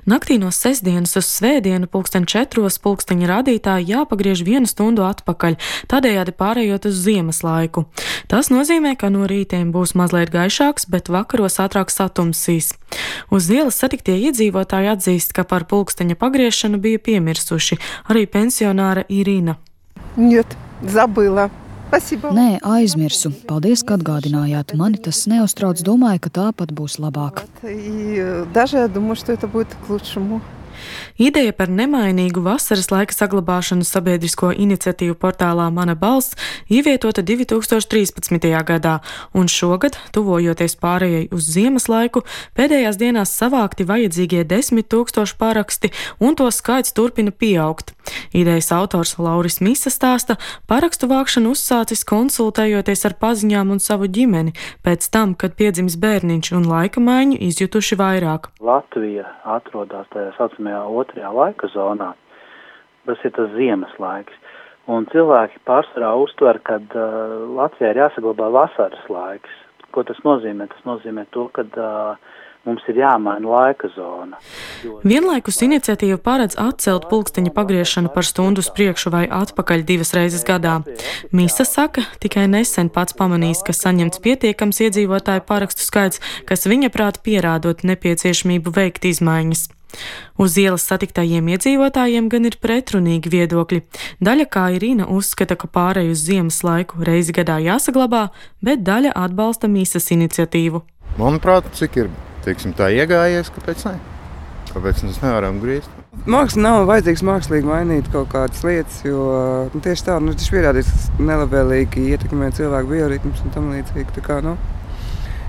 Naktī no sestdienas uz svētdienu 4:00 pulksteņa rādītāji jāpagriež 1 stundu atpakaļ, tādējādi pārējot uz ziemas laiku. Tas nozīmē, ka no rītiem būs mazliet gaišāks, bet vakaros ātrāk satumsīs. Uz ielas satiktie iedzīvotāji atzīst, ka par pulksteņa pagriešanu bija piemirsuši, arī pensionāra Irina. Нет, забыла. Спасибо. Nē, aizmirsu. Paldies, ka atgādinājāt. Mani tas neuztrauc, domāju, ka tāpat būs labāk. И даже я думаю, что это будет к лучшему. Ideja par nemainīgu vasaras laika saglabāšanu sabiedrisko iniciatīvu portālā Mana balss ievietota 2013. gadā, un šogad, tuvojoties pārējai uz ziemas laiku, pēdējās dienās savākti vajadzīgie 10 000 paraksti, un to skaits turpina pieaugt. Idejas autors Lauris Misa stāsta, parakstu vākšanu uzsācis konsultējoties ar paziņām un savu ģimeni, pēc tam, kad piedzimis bērniņš un laika maiņu izjutuši vairāk. Latvija atrodas tajā saucamajā otrajā laika zonā. Tas ir tas ziemas laiks. Un cilvēki pārsvarā uztver, ka Latvijā ir jāsaglabā vasaras laiks. Ko tas nozīmē? Tas nozīmē to, ka mums ir jāmaina laika zona. Vienlaikus iniciatīva paredz atcelt pulksteņa pagriešanu par stundu uz priekšu vai atpakaļ 2 reizes gadā. Misa saka, tikai nesen pats pamanījis, ka saņemts pietiekams iedzīvotāju parakstu skaits, kas viņa prāt pierādot nepieciešamību veikt izmaiņas. Uz ielas satiktajiem iedzīvotājiem gan ir pretrunīgi viedokļi. Daļa, kā Irina, uzskata, ka pārēj uz ziemas laiku reizi gadā jāsaglabā, bet daļa atbalsta Misas iniciatīvu. Manuprāt, cik ir, tā iegājies, kāpēc ne? Kāpēc mēs nevaram griezt? Māksla nav vajadzīgs mākslīgi mainīt kaut kādas lietas, jo tieši tā, tas pierādīs nelabvēlīgi ietekmē cilvēku bioritmus un tam līdzīgi. Tā kā,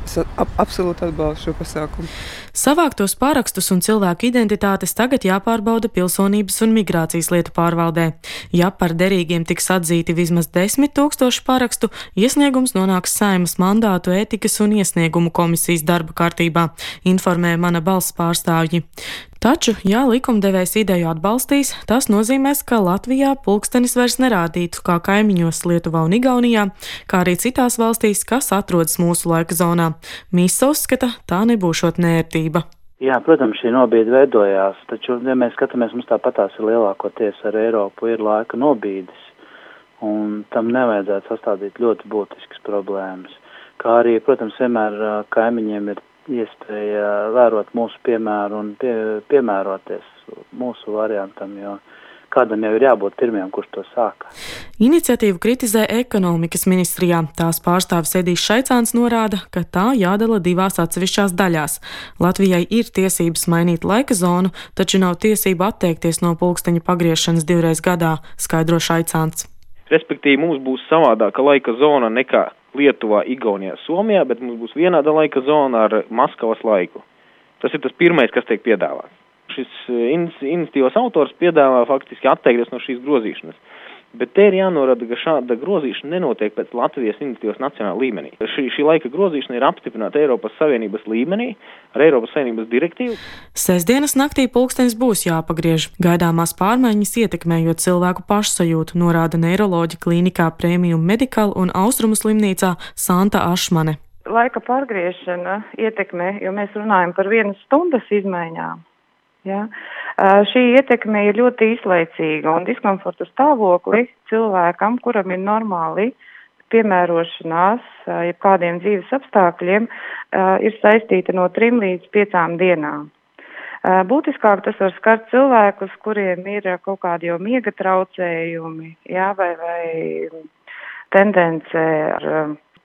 es absolūti atbalstu šo pasākumu. Savāktos pārakstus un cilvēku identitātes tagad jāpārbauda Pilsonības un migrācijas lietu pārvaldē. Ja par derīgiem tiks atzīti vismaz 10 000 parakstu, iesniegums nonāks Saeimas mandātu ētikas un iesniegumu komisijas darba kārtībā, informē Mana balss pārstāvji. Taču, ja likumdevējs ideju atbalstīs, tas nozīmēs, ka Latvijā pulkstenis vairs nerādītu kā kaimiņos Lietuvā un Igaunijā, kā arī citās valstīs, kas atrodas mūsu laika zonā. Misa uzskata, tā nebūšot nērtība. Jā, protams, šī nobīde veidojās, taču, ja mēs skatāmies, mums tāpatās ir lielākoties ar Eiropu ir laika nobīdes, un tam nevajadzētu sastādīt ļoti būtiskas problēmas. Kā arī, protams, vienmēr kaimiņiem ir iespēja vērot mūsu piemēru un piemēroties mūsu variantam, jo kādam jau ir jābūt pirmajam, kurš to sāka. Iniciatīvu kritizē ekonomikas ministrijā. Tās pārstāvis Edijs Šaicāns norāda, ka tā jādala 2 atsevišķās daļās. Latvijai ir tiesības mainīt laika zonu, taču nav tiesība atteikties no pulksteņa pagriešanas 2 reizes gadā, skaidro Šaicāns. Respektīvi, mums būs savādāka laika zona nekā Lietuvā, Igaunijā, Somijā, bet mums būs vienāda laika zona ar Maskavas laiku. Tas ir tas pirmais, kas tiek piedāvāts. Šis iniciatīvas autors piedāvā faktiski atteikties no šīs grozīšanas. Bet te ir jānorāda, ka šāda grozīšana nenotiek pēc Latvijas iniciatīvas nacionāla līmenī. Šī laika grozīšana ir apstiprināta Eiropas Savienības līmenī ar Eiropas Savienības direktīvu. Sestdienas naktī pulkstenis būs jāpagriež. Gaidāmās pārmaiņas ietekmējot cilvēku pašsajūtu, norāda neiroloģa klīnikā Premium Medical un Austrumu slimnīcā Santa Ašmane. Laika pārgriešana ietekmē, jo mēs runājam par 1 stundas izmaiņām. Ja? Šī ietekme ir ļoti īslaicīga un diskomforta stāvokli cilvēkam, kuram ir normāli piemērošanās, jebkādiem dzīves apstākļiem, ir saistīta no 3 līdz 5 dienām. Būtiskāk tas var skart cilvēkus, kuriem ir kaut kādi jau miega traucējumi, ja, vai tendence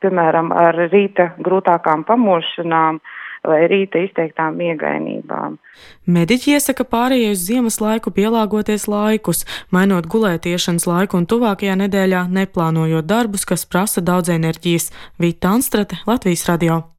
piemēram, ar rīta grūtākām pamošanām, vai rīta izteiktām miegainībām. Mediķi iesaka pārējai uz ziemas laiku pielāgoties laikus, mainot gulētiešanas laiku un tuvākajā nedēļā neplānojot darbus, kas prasa daudz enerģijas. Vita Anstrate, Latvijas radio.